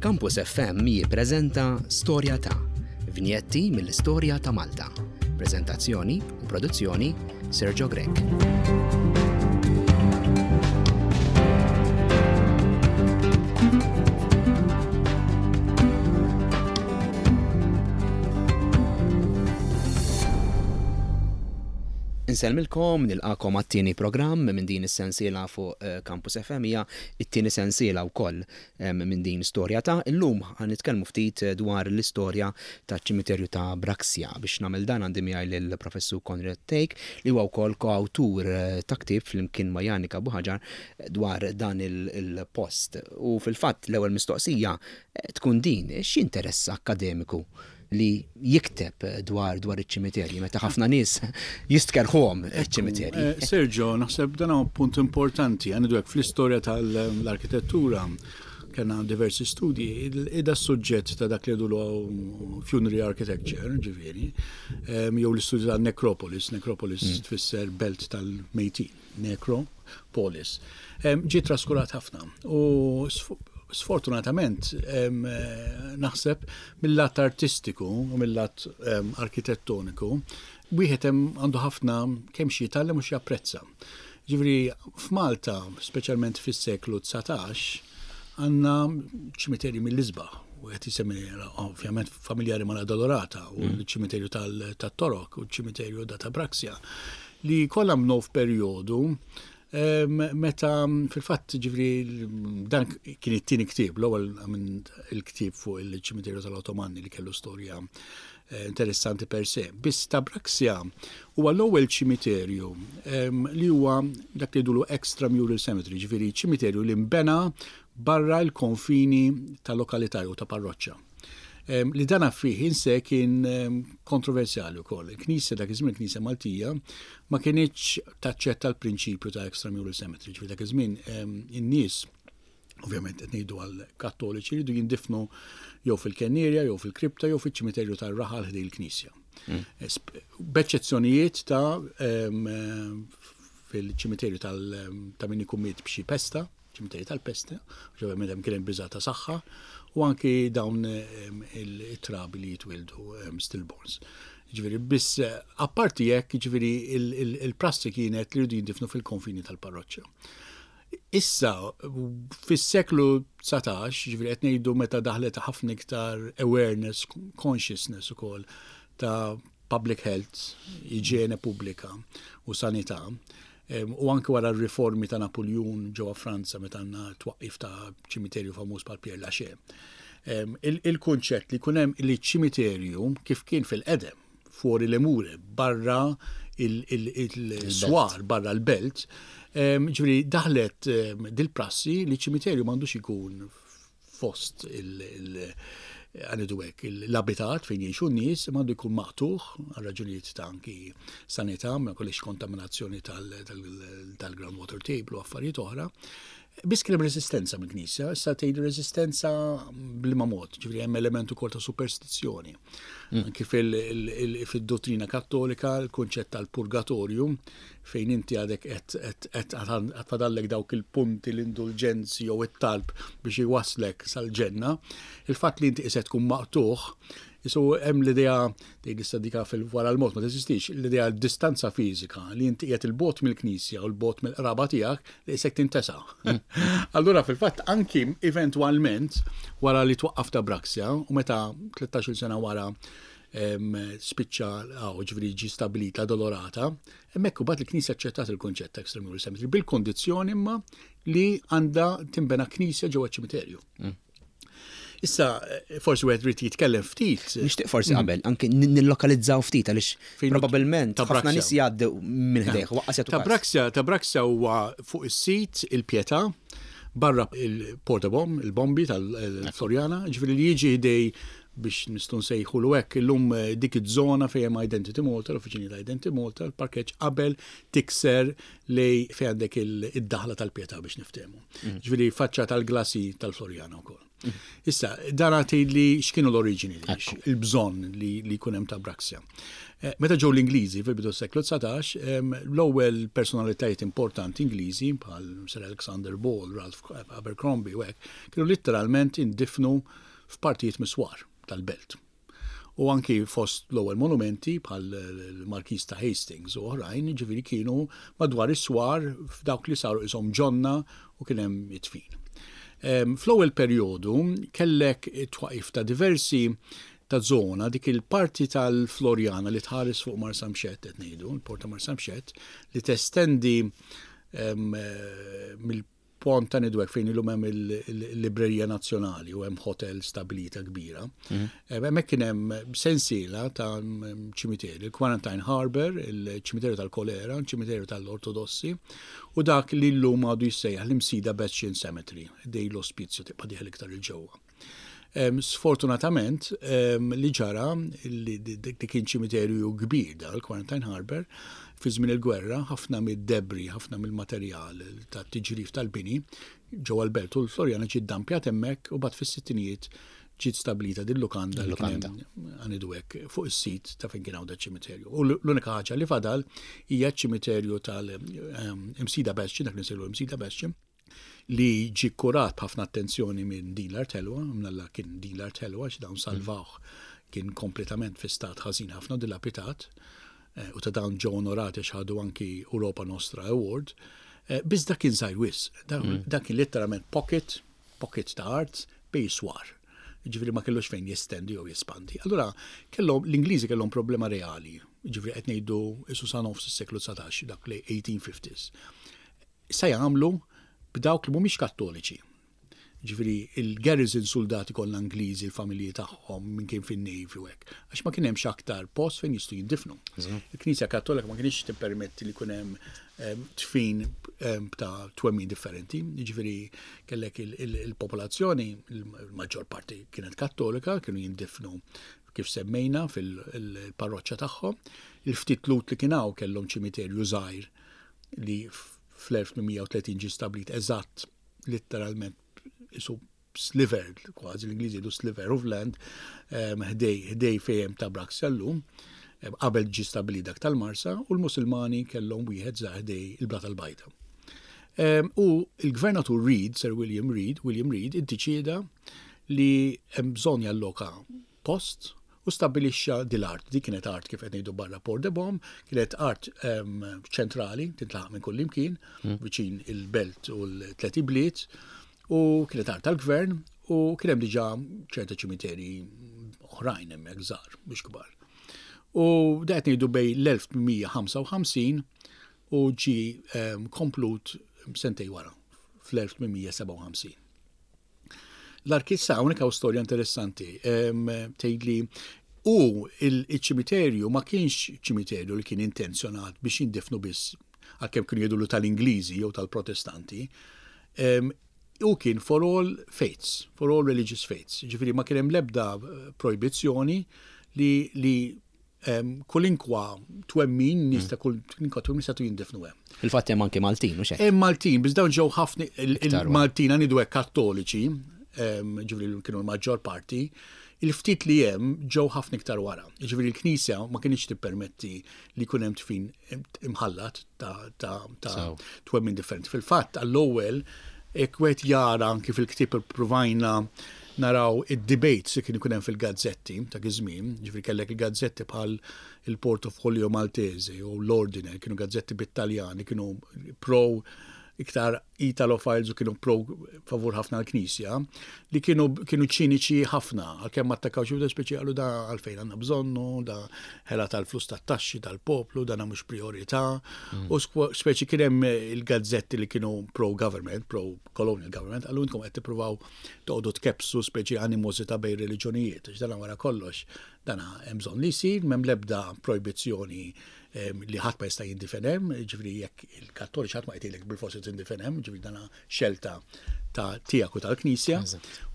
Campus FM jippreżenta Storja ta' vinjetti mill-istorja ta' Malta. Preżentazzjoni u produzzjoni Sergio Grech. Insellmilkom, nilqakom għat-tieni programm minn din is-sensiela fuq eh, Campus FM hija it-tieni sensiela wkoll minn din storja ta' illum ħa nitkellmu ftit dwar l-istorja taċ-ċimiterju ta' Braxia. Biex nagħmel dan għandi miegħi lill-Professur Konrad Thake li huwa wkoll koawtur ta' ktieb flimkien ma' Janika Buhagiar dwar dan il-post. U fil-fatt l-ewwel mistoqsija tkun din, x'jinteressa akkademiku li jikteb dwar dwar iċ-ċimiterji meta ħafna nies jistkerrħuhom iċ-ċimiterji. Eh, Sergio, naħseb dan huwa punt importanti, għandu hekk fl-istorja tal-arkitettura kena diversi studji, ida suġġett ta' dak li jgħidulu funerary architecture, ġifieri, jew l-istudju ta' necropolis, necropolis mm. tfisser belt tal-mejtin. Necropolis, ġie traskurat ħafna u sfortunatament naħseb mill-lat artistiku u mill-lat arkitettoniku wieħed hemm għandu ħafna kemm xi jitgħallem u xi japprezza. Ġifieri f'Malta, speċjalment fis-seklu 19, għandna ċimiterji mill-isbaħ u qed jisemmi ovvjament familjari ma' Dolorata u mm. l-ċimiterju tal-Torok u l-ċimiterju da Tabraxia li kollha nbnew f'perjodu meta fil-fatt ġifri dan kien it-tieni ktieb, l-ewwel minn il-ktieb fuq il-ċimiterju tal-Ottomani li kellu storja eh, interessanti per se. Biss ta' Braxia huwa l-ewwel ċimiterju li huwa dak li jgħidulu extramural cemetery, ġifieri ċimiterju li nbena barra l-konfini ta' lokalità jew ta' parroċċa. Li dan fih in se kien kontroversjali wkoll. Il-Knisja dak iż-żmien, il-Knisja Maltija, ma kinitx taċċetta l-prinċipju ta' extramural cemetery. Ġifieri dak iż-żmien in-nies ovvjament qed ngħidu għal kattoliċi jridu jindifnu jew fil-kennerja, jew fil-kripta, jew fiċ-ċimiterju tar-raħal ħdej il-knisja. Mm. B'eċċezzjonijiet ta' fil-ċimiterju ta' min ikun miet b'xi pesta, ċimiterji tal-pesta, għax ovvjament hemm kien hemm biża' ta' saħħa, u anki dawn it-trabi li jitwildu stillborns. Ġifieri biss apparti hekk, ġifieri il-prassi kienet li jridu jindifnu fil-konfini tal-parroċċa. Issa, fis-seklu 19, ġifieri qed ngħidu meta daħlet ħafna iktar awareness, consciousness ukoll ta' public health, iġene pubblika u sanità, U anke wara r-riformi ta' Napuljun ġewwa Franza meta għandna twaqqif ta' ċimiterju famuż bħal Pierre Lachaise. Il-kunċett li jkun hemm li ċimiterju kif kien fil-qedem fuori le mure, barra il-swar, barra l-belt, ġifieri daħlet dil-prassi li ċimiterju m'għandux ikun fost għanidu hekk, l-abitat fejn jgħixu n-nies imma għandu jkun maqtugħ għal raġunijiet ta' anki sanità, ma jkollix kontaminazzjoni tal-groundwater table u affarijiet oħra. Biss kien hemm resistenza mill-Knisja, issa tgħid resistenza bliema mod, ġifieri hemm element ukoll ta' superstizzjoni. Mm. Anki fil-dottrina kattolika l-kunċett tal-purgatorju fejn inti għadek qed fadallek dawk il-punti l-indulġenzi jew it-talb biex iwasslek sal-ġenna, il-fatt li inti qisek tkun maqtugħ, isu hemm l-idea tgħid issa dika fil-wara l-mod ma teżistix, l-idea distanza fiżika li inti qiegħed il-bogħod mill-knisja u l-bogħod mill-qraba tiegħek li qisek tintesa. Mm. Allura fil-fatt anki eventwalment wara li twaqqaf ta' Braxia u meta 13-il sena wara spiċċa għaw ġifieri ġie stabbilit la Dolorata, hemmhekk imbagħad il-Knisja aċċettat il-kunċett ta' extramural cemetery bil-kondizzjoni imma li għandha tinbena knisja ġewwa ċimiterju. Mm. Issa, forsi wieħed irid jitkellem ftit. Nixtieq forsi mm. qabel, anke nillokalizzaw ftit għaliex probabbilment ħafna nies jgħaddu minn ħdejh waqqas jagħtu. Ta' ta' Braxia huwa fuq is-sit il-Pietà barra il-portabomb, il-bombi tal-Floriana, ġifieri li jiġi ħdej biex nistgħu nsejħulu hekk, illum eh, dik iż-żona fejn hemm Identity Malta, l-uffiċini ta' Identity Malta, l-parkeġġ qabel tikser lej fejn għandek id-daħla tal-Pietà biex niftehmu. Mm. Ġifieri faċċa tal-glasi tal-Floriana wkoll. Issa, dan tgħidli x'kienu l-oriġini, il-bżonn li jkun hemm ta' Braxia. Meta ġew l-Ingliżi fil-bidu seklu 19, l-ewwel personalitajiet importanti Ingliżi bħal Sir Alexander Ball, Ralph Abercrombie u hekk, kienu litteralment indifnu f'partijiet mis-swar tal-belt. U anki fost l-ewwel monumenti bħal l-Markiż ta' Hastings u oħrajn, ġifieri kienu madwar is-swar f'dawk li saru qishom ġonna u kien hemm id-dfin. Fl-ewwel perjodu kellek it-twaqif ta' diversi ta' zona dik il-parti tal-Floriana li tħares fuq Marsamxett qed ngħidu, il-Port ta' Marsamxett, li testendi mill Pont ta' Nidwek fejn illum hemm il-Librerija Nazzjonali u hemm hotel stabilita kbira. Hemmhekk kien hemm sensiela ta' ċimiteri, il-Quarantine Harbour, il-ċimiterju tal-Kolera, il-ċimiterju tal-Ortodossi u dak li llum għadu jissejjaħ l-Imsida Bastion Cemetery, dej l-ospizju tibqa' dieħel iktar il-ġewwa. Sfortunatament, li ġara, li dik kien ċimiterju kbir da, l-Quarantine Harbour, fi żmien il-gwerra, ħafna mid-debri, ħafna mill-materjal tat-tiġrif tal-bini ġewwa l-belt u l-Floriana ġiet dampjat hemmhekk u bad fis-sittinijiet ġiet stabilita din lukanda li kien għanidu hekk fuq is-sit ta' fejn kien hawn ċimiterju. U l-unika ħaġa li fadal hija ċ-ċimiterju tal-Imsida Bastion, dak li nsejlu Imsida Bastion, li ġie kkurat b'ħafna attenzjoni minn din l-art ħelwa, mnalla kien din l-art ħelwa għax dawn salvawh kien kompletament fi stat ħażin ħafna dilapitat eh, u ta' dawn ġew onorati għax ħadu anki Europa Nostra Award. Eh, biss dak kien żgħir wisq, dak kien letteralment pocket, pocket ta' art bej swar. Ġifieri ma kellux fejn jestendi jew jespandi. Allura kellhom l-Ingliżi kellhom problema reali, ġifieri qed ngħidu isu sa nofs is-seklu 19, dak li 1850s. Sa jagħmlu b'dawk li mhumiex Kattoliċi. Ġifieri il-garrison suldati kollha Ingliżi, il-familji tagħhom, min kien fin-Navy u hekk. Għax ma kien hemmx aktar post fejn jistgħu jindifnu. Il-Knisja Kattolika ma kienx tippermetti li jkun hemm ehm, tfin ehm, ta' twemmin differenti. Ġifieri kellek il-popolazzjoni, il-maġġor parti kienet Kattolika, kienu jindifnu kif semmejna fil-parroċċa tagħhom. Il-ftit Lhud li kien hawn kellhom ċimiterju żgħir li fl-1830 ġie stabbilit eżatt litteralment isu sliver, kważi l-Ingliżi jgħidu sliver of land, ħdej ħdej fejn ta' Braxia llum, qabel ġie stabbilit dak tal-Marsa, u l-Musulmani kellhom wieħed żgħar ħdej il-Blata l-Bajda. U l-Gvernatur Reid, Sir William Reid, William Reid, iddeċieda li hemm bżonn jalloka post u stabbilixxa din l-art. Din kienet art kif qed ngħidu barra Port de Bom, kienet art ċentrali, tintlaħaq minn kull imkien, viċin il-belt u l-tlet ibliet, u kienet art tal-gvern u kien hemm diġà ċerta ċimiteri oħrajn hemmhekk żgħar mhux kbar. U da qed ngħidu bejn l-1855 u ġie komplut sentej wara fl-1857. L-arkissa hawnhekk hawn storja interessanti tgħidli u il-ċimiterju ma kienx ċimiterju li kien intenzjonat biex jindifnu biss għalkemm kienu jgħidulu tal-Ingliżi jew tal-Protestanti. U kien for all faiths, for all religious faiths. Ġifieri ma kien hemm l-ebda projbizzjoni li, li kulinkwa twemmin, nies ta' kulinkwa twemmin setgħu jindifnu hemm. Fil-fatt hemm anki Maltin, u xejn. Hemm Maltin, biss dawn ġew ħafna il-Maltin għanidu hekk Kattoliċi, ġifieri kienu l-maġġor parti, il-ftit li hemm ġew ħafna iktar wara. Ġifieri l-Knisja ma kienx tippermetti li jkun hemm tfin imħallat ta' twemmin differenti. Fil-fatt għall-ewwel jekk wieħed jara anki fil-ktieb ippruvajna naraw id-debates li kien ikun hemm fil-gazzetti ta' iż-żmien, ġifieri kellek il-gazzetti bħal il-Portofolio Maltese u l-Ordine, kienu gazzetti bit-Taljan li kienu pro iktar Italophiles u kienu pro favur ħafna l-Knisja, li kienu kienu ċiniċi ħafna, għalkemm ma attakkaw xi speċi qalu da għalfejn għandna bżonnu, da ħela tal-flus tat-taxxi tal-poplu, dana mhux priorità. U speċi kien hemm il-gazzetti li kienu pro-government, pro-colonial government, qalu intkom qed tippruvaw toqgħodu tkebbsu speċi animożità bejn reliġjonijiet, għax dana wara kollox dana hemm bżonn li jsir, m'hemm l-ebda projbizzjoni li ħadd ma jista' jindifen hemm, jiġifieri jekk il-Kattoliċi ħadd ma qed jgħidlek bilfors li tindifen hemm, jiġifieri dana xelta ta' tiegħek u tal-Knisja.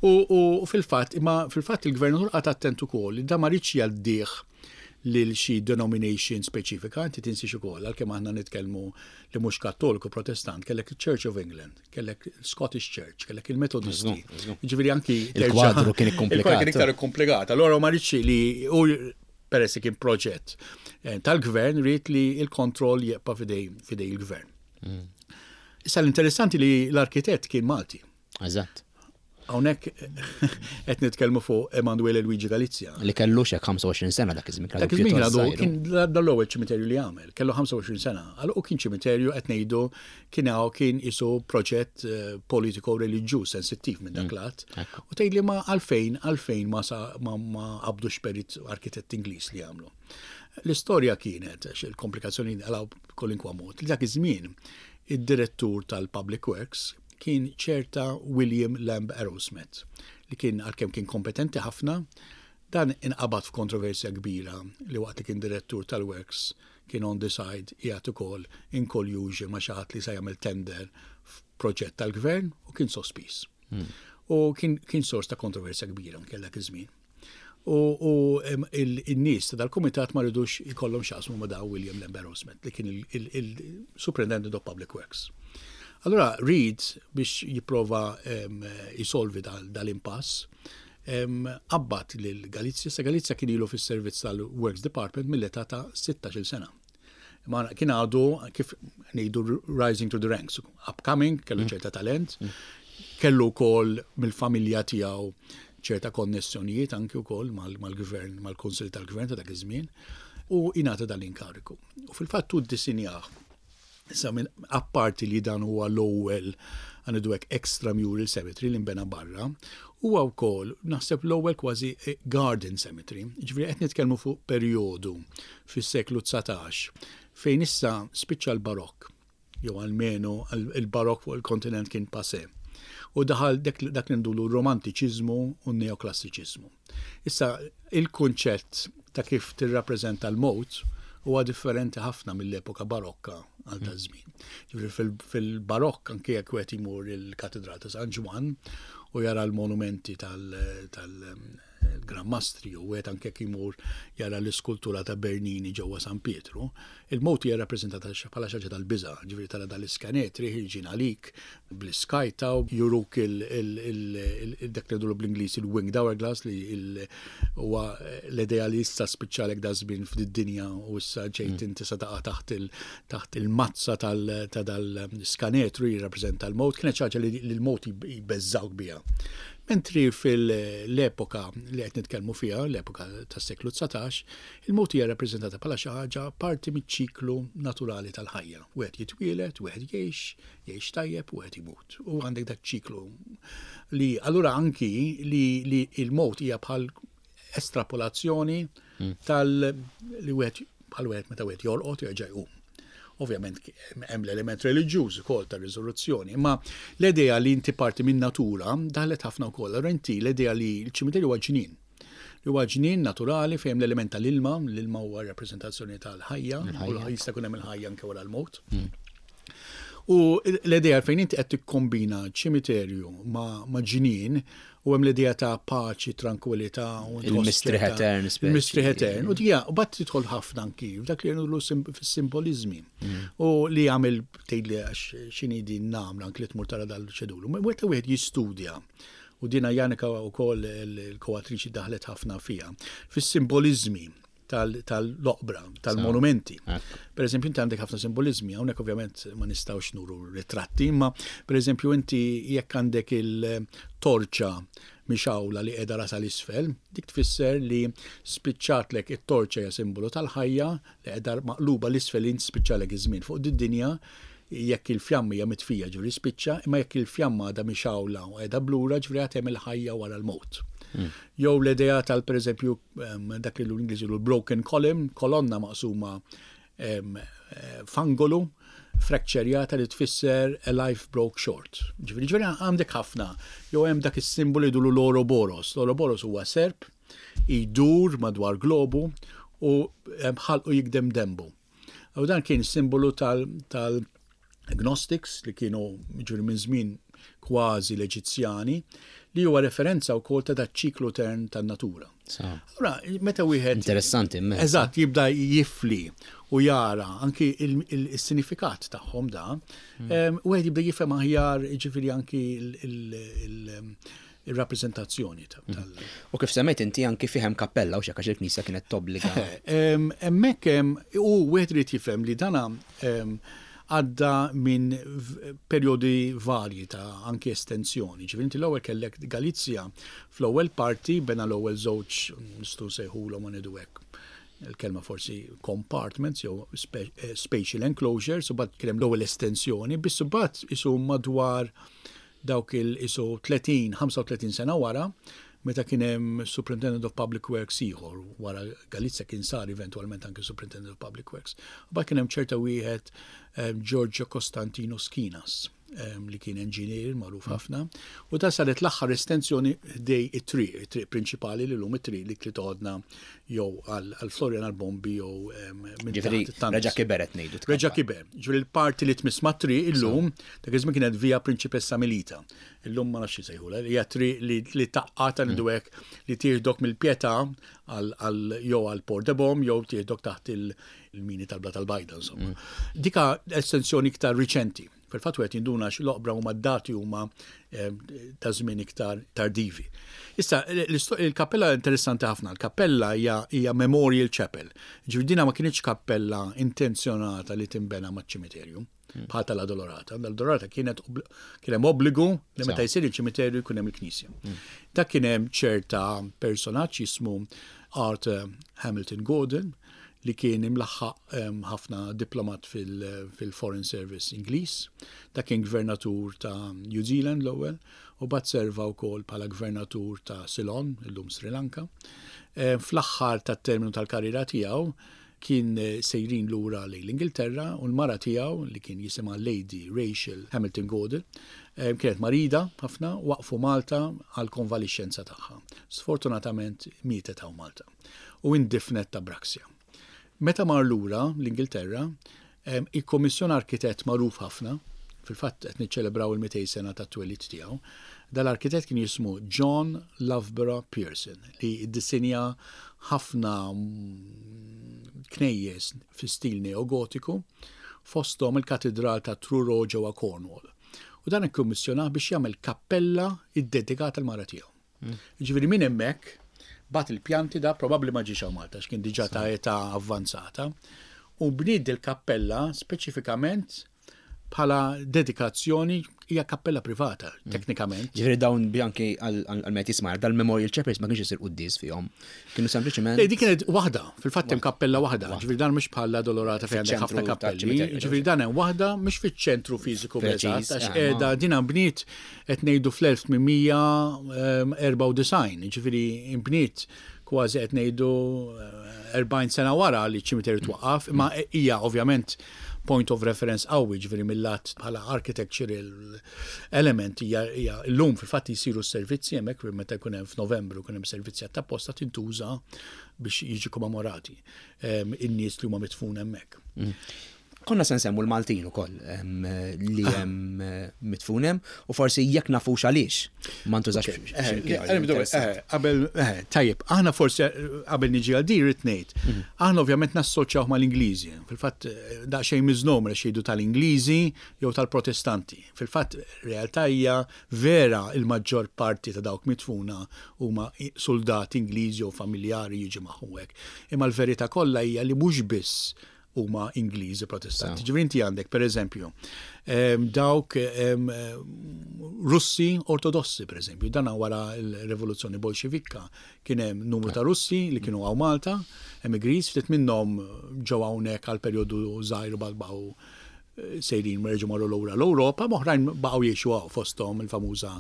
U fil-fatt, imma fil-fatt il-Gvernatur qagħad attent ukoll li da ma riedx jgħaddih lil xi denomination speċifika, inti tinsiex ukoll għalkemm aħna nitkellmu li mhux Kattoliku Protestant, kellek il-Church of England, kellek Scottish Church, kellek il-Metodisti. Ġifieri anki il-kwadru kien ikkomplikat. Kien iktar ikkomplikat. Allora ma rridx li u peress li kien proġett eh, tal-gvern rrid li il-kontroll jibqa' fidej fidej il-gvern. Issa l-interessanti li l-arkitett kien Malti. Eżatt. Hawnhekk qed nitkellmu fuq Emanuele Luigi Galizia. Li kellu xek 25 sena dak iż-żmien. Dak iż-żmien għadu kien l-ewwel ċimiterju li għamel, kellu 25 sena. Għal u kien ċimiterju qed ngħidu kien hawn kien isu proġett eh, politiko reliġjuż sensittiv minn dak mm. lat. U tgħidli ma għalfejn għalfejn ma ma qabdux perit arkitett Ingliż li għamlu. L-istorja kienet, il-komplikazzjoni għalaw kolinkwa mod, li dak iż-żmien id-direttur tal-Public Works kien ċerta William Lamb Arrowsmith, li kien għalkemm kien kompetenti ħafna, dan inqabad f'kontroversja kbira li waqt li kien direttur tal-Works kien on the side qiegħed ukoll in collusion ma' xi ħadd li se jagħmel tender f'proġett tal-gvern u kien sospiż. Hmm. U kien, kien sors ta' kontroversja kbira anke dak iż-żmien. U in-nies ta' dal-kumitat ma ridux ikollhom x'jaqsmu ma' da William Lambert Osment li kien il-Superintendent of Public Works. Allura Reid biex jipprova jisolvi dal-impass qabbad lil Galizia, sa Galizia kien ilu fis-servizz tal-Works Department mill-età ta' 16-il sena. Ma kien għadu kif ngħidu rising to the ranks, upcoming, kellu mm. ċerta talent, mm. kellu wkoll mill-familja tiegħu ċerta konnessjonijiet anki wkoll mal-gvern, mal-Kunsill tal-Gvern ta' dak iż-żmien, u ingħata dan l-inkariku. U fil-fatt hu ddisinjah Issa minn apparti li dan huwa l-ewwel għandu hekk extramural cemetery li nbena barra, huwa wkoll naħseb l-ewwel kważi eh, garden cemetery. Ġifieri qed nitkellmu fuq perjodu fis-seklu 19 fejn issa spiċċa l-barokk jew almenu il-barokk fuq il-kontinent kien passé. U daħal dak li ndulu romantiċiżmu u neoklassiċiżmu. Issa, il-kunċett ta' kif tirrappreżenta l-mewt huwa differenti ħafna mill-epoka barokka għal ta' żmien. Ġifieri fil-barokk anke jekk wieħed imur il-Katedral ta' San Ġwann u jara l-monumenti tal Gran Mastri u wieħed anke jekk imur jara l-iskultura ta' Bernini ġewwa San Pietru, il-mewt hija rappreżentata bħala xi ħaġa tal-biża', ġifieri tara dal-iskanetri ħirġin għalik bl-iskajta u juruk dak li jgħidulu bl-Ingliż il-winged hourglass li huwa l-idea li issa spiċċalek da żmien f'did-dinja u issa ġejt mm. inti se taqa' taħt taħt il-mazza ta' dal-skanetru jirrappreżenta l-mowt, kienet xi ħaġa li l-mowt jbeżżawk biha. Mentri fil-epoka li qed nitkellmu fiha, l-epoka tas-seklu 19, il-mowt hija rappreżentata bħala xi ħaġa parti miċ-ċiklu naturali tal-ħajja. Wieħed jitwieled, wieħed jgħix, jgħix tajjeb u wieħed imut. U għandek dak ċiklu li allura anki li, li il-mowt hija bħal estrapolazzjoni hmm. tal li wieħed bħal wieħed meta wieħed jorqod jerġa' jqum. Ovvjament hemm l-element reliġjuż ukoll ta' riżoluzzjoni, imma l-idea li inti parti minn natura daħlet ħafna wkoll. Allura inti l-idea li l-ċimiterju huwa ġnien. Li huwa ġnien naturali fejn l-element tal-ilma, l-ilma huwa rappreżentazzjoni tal-ħajja, u jista' jkun hemm il-ħajja anke wara l-mowt. Hmm. U l-idea fejn inti qed tikkombina ċimiterju ma' ġnien u hemm l-idea ta' paċi, trankwilità u il-mistrieħ etern. Il-mistrieħ etern. U dija, u bat tidħol ħafna anki f'dak li jgħidu fis-simbolizmi. Mm. U li jagħmel tgħidli għax x'inhi din nagħmel anki li tmur tara dal-ċedulu. Meta wieħed jistudja u dina Janika wkoll il-koatriċi daħlet ħafna fiha, fis-simbolizmi tal-oqbra, tal-monumenti. Per eżempju, inti għandek ħafna simbolizmi, hawnhekk ovvjament ma nistgħux nuru ritratti, imma per eżempju inti jekk għandek il-torċa mixawla li qiegħda rasa l-isfel, dik tfisser li spiċċatlek it-torċa hija simbolu tal-ħajja li qiegħda maqluba l-isfel li spiċċalek iż-żmien fuq did-dinja jekk il-fjamma hija mitfija ġifieri spiċċa, imma jekk il-fjamma għadha mixawla u qiegħda blura ġifieri għad hemm il-ħajja wara l-mewt. Hmm. Jew l-idea tal pereżempju dak li l-Ingliż broken column, kolonna maqsuma eh, f'angolu, frakċerjata li tfisser a life broke short. Ġifieri ġifieri għandek ħafna, jew hemm dak is-simbolu jidulu l-Ouroboros. L-Ouroboros huwa serp jdur madwar globu u ħalqu jikdem dembu. U dan kien simbolu tal-Gnostics li kienu ġifieri minn żmien kważi l-Eġizzjani, li huwa referenza wkoll ta' daċ-ċiklu etern tan-natura. Allura, meta wieħed. Interessanti immens. Eżatt, jibda jifli u jara anki il-sinifikat tagħhom da, wieħed jibda jifhem aħjar jiġifieri anki il-rappreżentazzjoni tal. U kif semmejt inti anki fih hemm kappella u x'hekk għax il-knisja kienet tobbliga. Hemmhekk u wieħed irid jifhem li dana għadda minn perjodi varji ta' anki estensjoni. Ġifieri inti l-ewwel kellek Galizja fl-ewwel parti bena l-ewwel żewġ nistgħu nsejħulhom ma ngħidu hekk il-kelma forsi compartments jew eh, spatial enclosures, u bad kien hemm l-ewwel estensjoni, biss imbagħad isu madwar dawk il isu 30, 35 sena wara, meta kien hemm Superintendent of Public Works ieħor, wara Galizia kien sar eventwalment anke Superintendent of Public Works. U kien hemm ċerta wieħed eh, Giorgio Costantino Schinas eh, li kien engineer magħruf mm. ħafna, u ta' saret l-aħħar estensjoni ħdej it-triq, it-triq prinċipali li lum it-triq li li toħodna jew għal Florian għal Bombi jew minn Ġifieri reġa' kiber qed ngħidu. Reġa' kiber. Ġifieri l-parti li tmiss mat-triq illum, dak iż-żmien kienet Via Principessa Milita. Illum ma nafx jsejħulha, hija triq li taqqa' ta' ngħidu hekk li tieħdok mill-Pietà għal jew għal Port de Bom jew tieħdok taħt il-mini tal-Bla tal-Bajda insomma. Mm. Dika estensjoni iktar riċenti. Fil-fatt wieħed jinduna għax l-oqbra huma d-dati huma eh, ta' żmien iktar tardivi. Issa, il-kappella interessanti ħafna. Il-kappella hija memorial chapel. Ġifieri dina ma kienx kappella intenzjonata li tinbena maċ-ċimiterju. Hmm. Bħal tal-Adolorata. L-Adolorata kienet kien hemm obbligu li meta jsir il-ċimiterju jkun hemm il-knisja. Hmm. Dak kien hemm ċerta personaġġ jismu Arthur Hamilton Gordon li kien imlaħħaq ħafna diplomat fil-Foreign Service Ingliż. Dak kien gvernatur ta' New Zealand l-ewwel u bat serva wkoll bħala gvernatur ta' Ceylon, illum Sri Lanka. Fl-aħħar tat-terminu tal-karriera tiegħu kien sejrin lura lejn l-Ingilterra u l-mara tiegħu li kien jisimha Lady Rachel Hamilton Gordon kienet marida ħafna waqfu Malta għall-konvalixxenza tagħha. Sfortunatament mietet hawn Malta u indifnet ta' Braxia. Meta mar lura l-Ingilterra, ikkommissjona arkitett magħruf ħafna, fil-fatt qed niċċelebraw il-200 sena tat-twelid tiegħu. Dal-arkitett kien jismu John Loughborough Pearson li ddisinja ħafna knejjes fi stil neogotiku, fosthom il-Katidral ta' Truro ġewwa Cornwall. U dan ikkummissjonah biex jagħmel kappella ddedikata l-mara tiegħu. Jiġifieri minn hemmhekk bagħat il-pjanti da probabbli ma ġiex hawn Malta għax kien diġà ta' età avvanzata u bniet dil-kappella speċifikament bħala dedikazzjoni hija kappella privata mm. teknikament. Ġifieri dawn bianki għal met jismar dal-Memorial Chapels ma kienx isir quddies fihom. Kienu sempliċement. Le, dik kienet waħda, fil-fatt hemm kappella waħda, ġifieri dan mhux bħala Dolorata fejn għandek ħafna kappelli, ġifieri dan hemm waħda mhux fiċ-ċentru fiżiku eżatt, għax eh, qiegħda din bniet qed ngħidu fl-1894, ġifieri nbniet kważi qed ngħidu 40 eh, sena wara li ċ-ċimiterju twaqqaf, imma hija ovvjament point of reference qawwi, ġifieri mill-lat bħala architectural element hija llum fil-fatt jsiru s-servizzi hemmhekk meta jkun hemm f'Novembru jkun hemm servizzi apposta tintuża biex jiġu kommemorati ehm, in-nies li huma mitfun hemmhekk. Mm. Konna se nsemmu l-Maltin ukoll li ah. hemm eh, mitfun hemm u forsi jekk nafux għaliex ma ntużax. Eh, eh, qabel tajjeb, aħna forsi qabel niġi għal din rid ngħid. Mhm. Aħna ovvjament nassoċjaw mal-Ingliżi. Fil-fatt daqsxejn miżnomer għax jgħidu tal-Ingliżi jew tal-Protestanti. Fil-fatt realtà hija vera il-maġġor parti ta' dawk mitfuna huma soldati Ingliżi jew familjari jiġi magħhom hekk. Imma l-verità kollha hija li mhux biss huma Ingliżi Protestanti. Ġifieri inti għandek pereżempju dawk Russi Ortodossi pereżempju, dan wara l-Rivoluzzjoni Bolxevikka kien hemm numru ta' Russi li kienu hawn Malta, emigris, ftit minnhom ġew hawnhekk għal perjodu żgħir u baqgħu eh, sejrin reġgħu marru lura l-Ewropa, oħrajn baqgħu jgħixu hawn fosthom il-famuża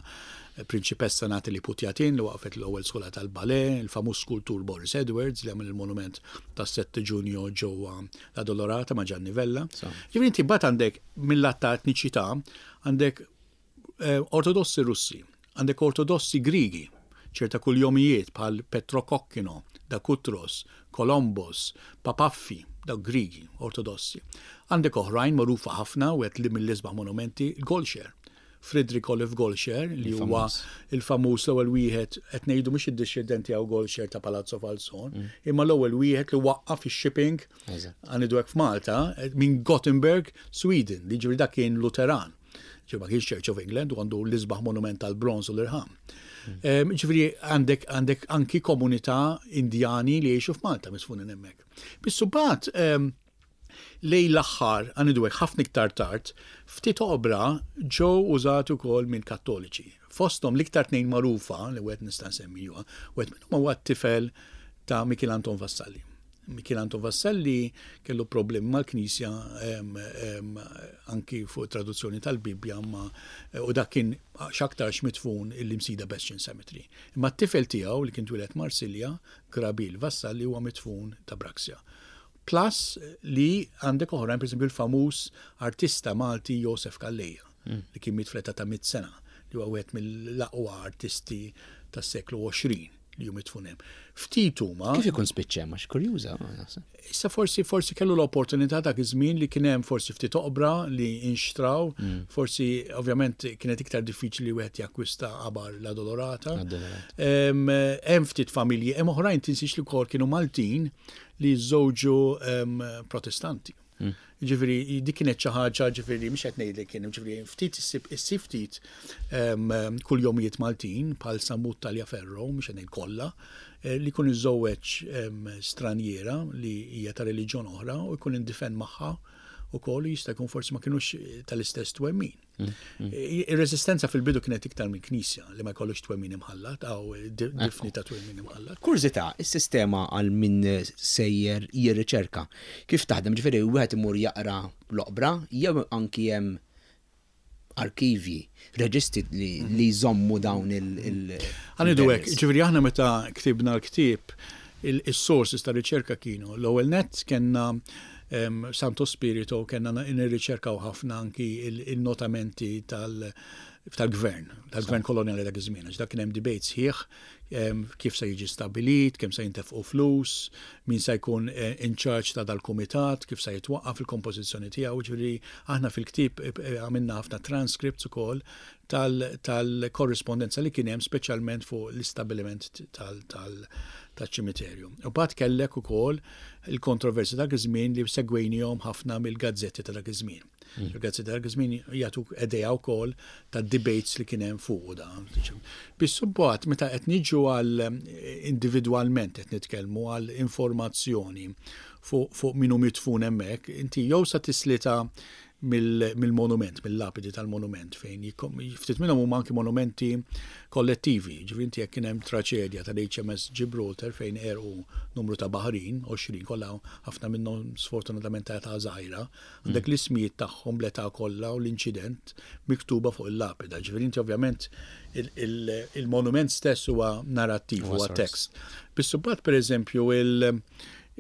Prinċipessa Natalie Putjatin li waqfet l-ewwel skola tal-ballet, il-famuż skultur Boris Edwards li għamel il-monument tas-7 Ġunju ġewwa la Dolorata ma' Gianni Vella. Ġifieri inti mbagħad għandek mill-lat ta' etniċità għandek eh, Ortodossi Russi, għandek Ortodossi Grigi, ċerta kuljomijiet bħal Petro Kokkino, da Kutros, Kolombos, Papaffi, dawk Grigi, Ortodossi. Għandek oħrajn magħrufa ħafna u li mill-isbaħ monumenti, Golxer. Friedrich Olaf Golscher li huwa il-famuż l-ewwel wieħed qed ngħidu mhux id-dixxendent tiegħu Golscher ta' Palazzo Falzon, imma l-ewwel wieħed li waqqaf ix-shipping għanidu hekk f'Malta minn Gothenburg, Sweden, li ġifieri dak kien Luteran. Ġifieri ma kienx Church of England u għandu l-isbaħ monument tal-bronż u l-irħam. Ġifieri għandek għandek anki komunità Indjani li jgħixu f'Malta misfunin hemmhekk. Biss imbagħad lejn l-aħħar, għanidu hekk ħafna iktar tard, ftit oqbra ġew użati wkoll minn Kattoliċi. Fosthom l-iktar tnejn magħrufa li wieħed nista' nsemmi huwa, wieħed minnhom huwa t-tifel ta' Mikiel Anton Vassalli. Mikiel Anton Vassalli kellu problemi mal-Knisja anki fuq traduzzjoni tal-Bibbja ma u dak kien x'aktarx midfun il-Imsida Bastion Cemetery. Imma t-tifel tiegħu li kien twieled Marsilja, Grabil Vassalli huwa midfun ta' Braxia. Plus li għandek oħrajn, pereżempju l-famuż artista Malti Josef Calleja, li kien miet fl-età ta' 100 sena, li huwa wieħed mill-aqwa artisti tas-seklu 20 li hu midfun hemm. Ftit huma. Kif ikun spiċċa hemm għax kurjuża naħseb. Issa forsi forsi kellu l-opportunità dak iż-żmien li kien hemm forsi ftit oqbra li inxtraw, forsi ovvjament kienet iktar diffiċli li wieħed jakkwista qabar la Dolorata. Hemm ftit familji, hemm oħrajn tinsiex li wkoll kienu Maltin li żżewġu Protestanti. Ġifieri dik kienet xi ħaġa, ġifieri mhux qed ngħidlek kien, ġifieri ftit issib ftit kuljomijiet Maltin bħal Sammut Tagliaferro, mhux qed ngħid kollha, eh, li jkun iżżewweġ stranjiera li hija ta' reliġjon oħra u jkun indifen magħha ukoll jista' jkun forsi ma kinux tal-istess twemmin. Ir-reżistenza fil-bidu kienet iktar minn knisja li ma jkollux twemmin imħallat, għaw difni ta' twemmin imħallat. Kurżità, is-sistema għal min sejjer jirriċerka, kif taħdem? Ġifieri wieħed imur jaqra l-oqbra jew anki hemm arkivji, reġistri li jżommu dawn il- Ħa ngħidu hekk, ġifieri aħna meta ktibna l-ktieb, is-sources ta' riċerka kienu l-ewwel nett kellna Santo Spirito kellna nirriċerkaw ħafna anki il-notamenti tal-gvern, tal-gvern kolonjali dak iż-żmien, għax dak kien hemm debate sħiħ kif se jiġi stabbilit, kemm se jintefqu flus, min se jkun eh, in charge ta' dal-kumitat, kif se jitwaqqaf il-kompożizzjoni tiegħu, ġifieri aħna fil-ktieb eh, eh, għamilna ħafna transcripts ukoll tal-korrispondenza li kien hemm speċjalment fuq l-istabbiliment tal-ċimiterju. U bat kellek ukoll il-kontroversi dak iż-żmien li segwejnihom ħafna mill-gazzetti ta' dak iż-żmien. Hmm. Il-gazzetti ta' dak iż-żmien jagħtuk idea wkoll ta' debates li kien hemm fuq da. Biss imbagħad meta qed niġu għal individwalment qed nitkellmu għal informazzjoni fuq min hu midfun hemmhekk, inti jew sa tislita mill-monument, mill-lapidi tal-monument fejn ftit minnhom huma anki monumenti kollettivi. Ġifieri inti jekk kien hemm traċedja tal-HMS Gibraltar fejn għerqu numru ta' baħrin, 20 kollha ħafna minnhom sfortunatament ta' età żgħira, għandek l-ismijiet tagħhom bl-età kollha u l-inċident miktuba fuq il-lapida. Ġifieri inti ovvjament il-monument stess huwa narrattiv, huwa tekst. Biss imbagħad pereżempju il-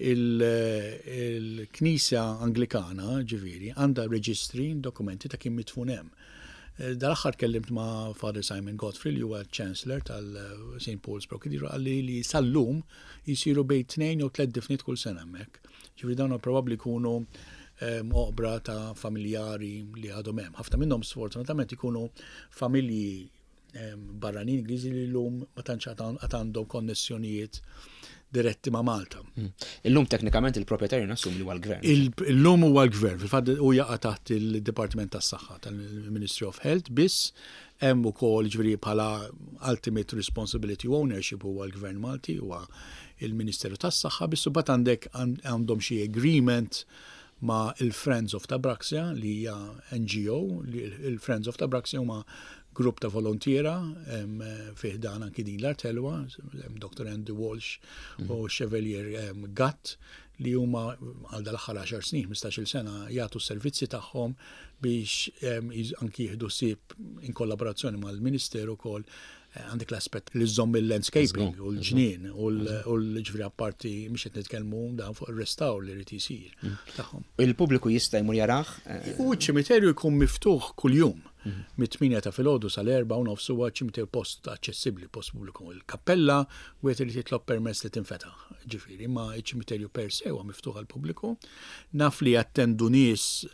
Il-Knisja Anglikana, ġifieri, għandha reġistri, dokumenti ta' kien midfun hemm. Eh, dal-aħħar tkellimt ma' Father Simon Godfrey li huwa Chancellor tal-St. Paul's Pro Cathedral qalli li sal-lum jisiru bejn tnejn jew tliet difniet kull sena hemmhekk. Ġifieri dawn probabbli jkunu ehm, oqbra ta' familjari li għadhom hemm. Ħafna minnhom sfortunatament ikunu familji barranin Ingliżi li llum ma tantx għad għandhom konnessjonijiet diretti ma' Malta. Hmm. Illum teknikament il-proprjetarju nassum li huwa l-gvern. Illum huwa l-gvern, fil-fatt u jaqa' taħt il-Dipartiment tas-Saħħa tal-Ministry of Health biss hemm ukoll ġifieri bħala ultimate responsibility ownership huwa l-Gvern Malti huwa il-Ministeru tas-Saħħa biss imbagħad għandek għandhom xi agreement ma' il-Friends of Tabraxia li hija NGO, li il-Friends of Tabraxia huma grupp ta' volontiera fi ħdan anki din l-art ħelwa, Dr. Andy Walsh mm. u Chevalier Gatt li huma għal dal-aħħar 10 snin, 15-il sena jagħtu s-servizzi tagħhom biex anki jieħdu ħsieb in kollaborazzjoni mal-Ministeru wkoll eh, għandek l-aspett li żomm il-landscaping u l-ġnien u l-ġifieri apparti mhux qed nitkellmu dan fuq ir-restawr li jrid isir mm. tagħhom. Il-pubbliku jista' jmur jarah? Eh, u ċ-ċimiterju jkun miftuħ kuljum. Mit-8 ta' filgħodu sal-4 u nofs huwa ċimiterju post aċċessibbli, post pubbliku. Il-kappella wieħed irid jitlob permess li tinfetaħ, ġifieri, imma ċ-ċimiterju per se huwa miftuħ għall-pubbliku. Naf li jattendu nies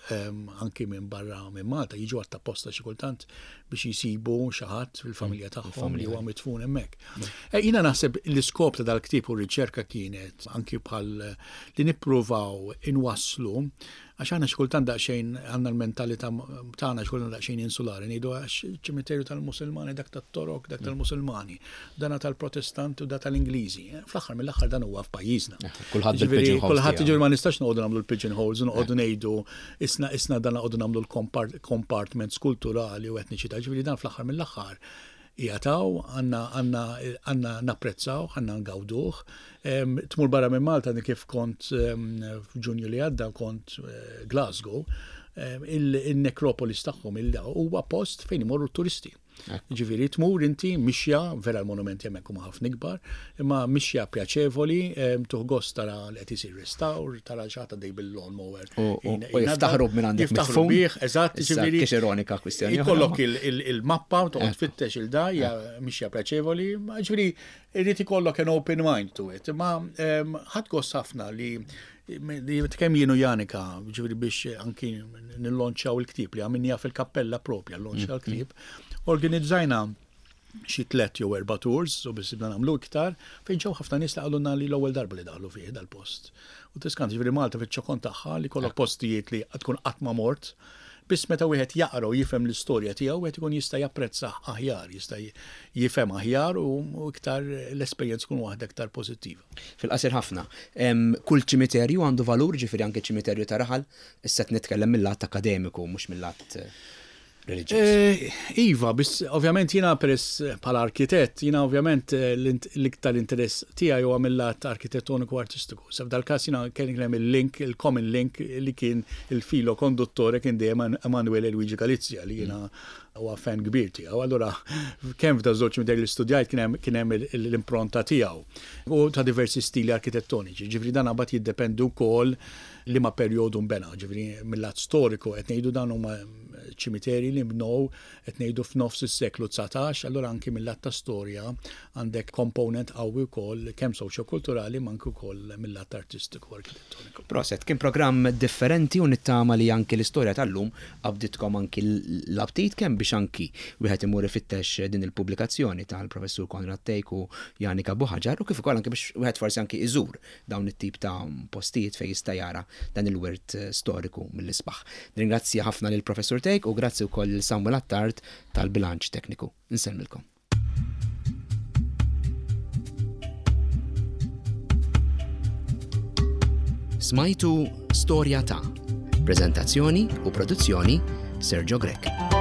anki minn barra minn Malta jiġu għatt-apposta xi kultant biex jisibu xi ħadd fil-familja tagħhom li huwa midfun hemmhekk. Eh, jiena naħseb l-iskop ta' dal-ktieb u r-riċerka kienet anki bħal li nippruvaw inwasslu għax aħna xi kultant daqsxejn għandna l-mentalità tagħna xi kultant daqsxejn insulari ngħidu għax ċimiterju tal-Musulmani dak tat-Torok, dak tal-Musulmani, dana tal-Protestanti u da tal-Ingliżi. Eh, fl-aħħar mill-aħħar dan huwa f'pajjiżna. Eh, kulħadd bil-pigeon holes. Kulħadd jiġifieri ma nistax noqogħdu nagħmlu l-pigeon holes u noqogħdu ngħidu isna isna dan noqogħdu nagħmlu l-compartments kulturali u etniċità. Ġifieri dan fl-aħħar mill-aħħar qiegħed hawn, għandna għandna għandna napprezzawh, għandna ngawduh. Tmur barra minn Malta kif kont f'Ġunju li għadda kont eh, Glasgow, il-nekropolis tagħhom huwa post fejn imorru t-turisti. Ġifieri tmur inti mixja, vera l-monumenti hemmhekk huma ħafna ikbar, imma mixja pjaċevoli, tuħ gost tara li qed isir restawr, tara xi ħadd għaddej bil-lawn mower. U jiftaħru minn għandek Jiftaħru bih, eżatt, ġifieri. Kiex ironika kwistjoni. Ikollok il-mappa u toqgħod tfittex il-da, hija mixja pjaċevoli, ġifieri irid ikollok an open mind to it. Imma ħadd gost ħafna li li kemm jienu Janika, ġifieri biex anki nillonċjaw il-ktieb li għamilniha fil-kappella propja, llonċja l-ktieb, organizzajna xi tlett jew erba' tours, u biss nagħmlu iktar, fejn ġew ħafna nies li qalulna li l-ewwel darba li daħlu fih dal-post. U tiskant ġifieri Malta fiċ-ċokon tagħha li kollok postijiet li tkun qatt ma mort, biss meta wieħed jaqra u jifhem l-istorja tiegħu wieħed ikun jista' japprezzah aħjar, jista' jifhem aħjar u iktar l-esperjenza tkun waħda iktar pożittiva. Fil-qasir ħafna, kull ċimiterju għandu valur, ġifieri anke ċimiterju ta' raħal, issa qed nitkellem mill-lat akkademiku mhux mill-lat reliġjuż. Eh, iva, biss ovvjament jiena peress bħala arkitett, jiena ovvjament eh, l-iktar interess tiegħi huwa mill-lat arkitettoniku artistiku. Sa f'dal-każ jiena kien hemm il-link, il-common link li kien il-filo konduttore kien dejjem Emanuele Luigi Galizia li jiena huwa fan kbir tiegħu. Allura kemm f'da żewġ midej li studjajt kien hemm l-impronta tiegħu u ta' diversi stili arkitettoniċi. Ġifieri dan abad jiddependi wkoll liema perjodu nbena, ġifieri mill-lat storiku qed ngħidu dan huma ċimiterji li nbnew qed ngħidu f'nofs is-seklu 19, allura anki mill-lat ta' storja għandek component qawwi wkoll kemm soċjokulturali ma anki wkoll mill-lat artistiku arkitettoniku. Proset, kien programm differenti u nittama li anki l-istorja tal-lum qabditkom anki l-aptit kemm biex anki wieħed imur ifittex din il-pubblikazzjoni tal-Professur Konrad Thake u Janika Buhagiar u kif ukoll anki biex wieħed forsi anki iżur dawn it-tip ta' postijiet fejn jista' jara dan il-wirt storiku mill-isbaħ. Nirringrazzja ħafna lil Professur Thake u grazzi wkoll lil Samuel Attard tal-bilanċ tekniku. Insellmilkom. Smajtu Storja ta' Preżentazzjoni u produzzjoni Sergio Grech.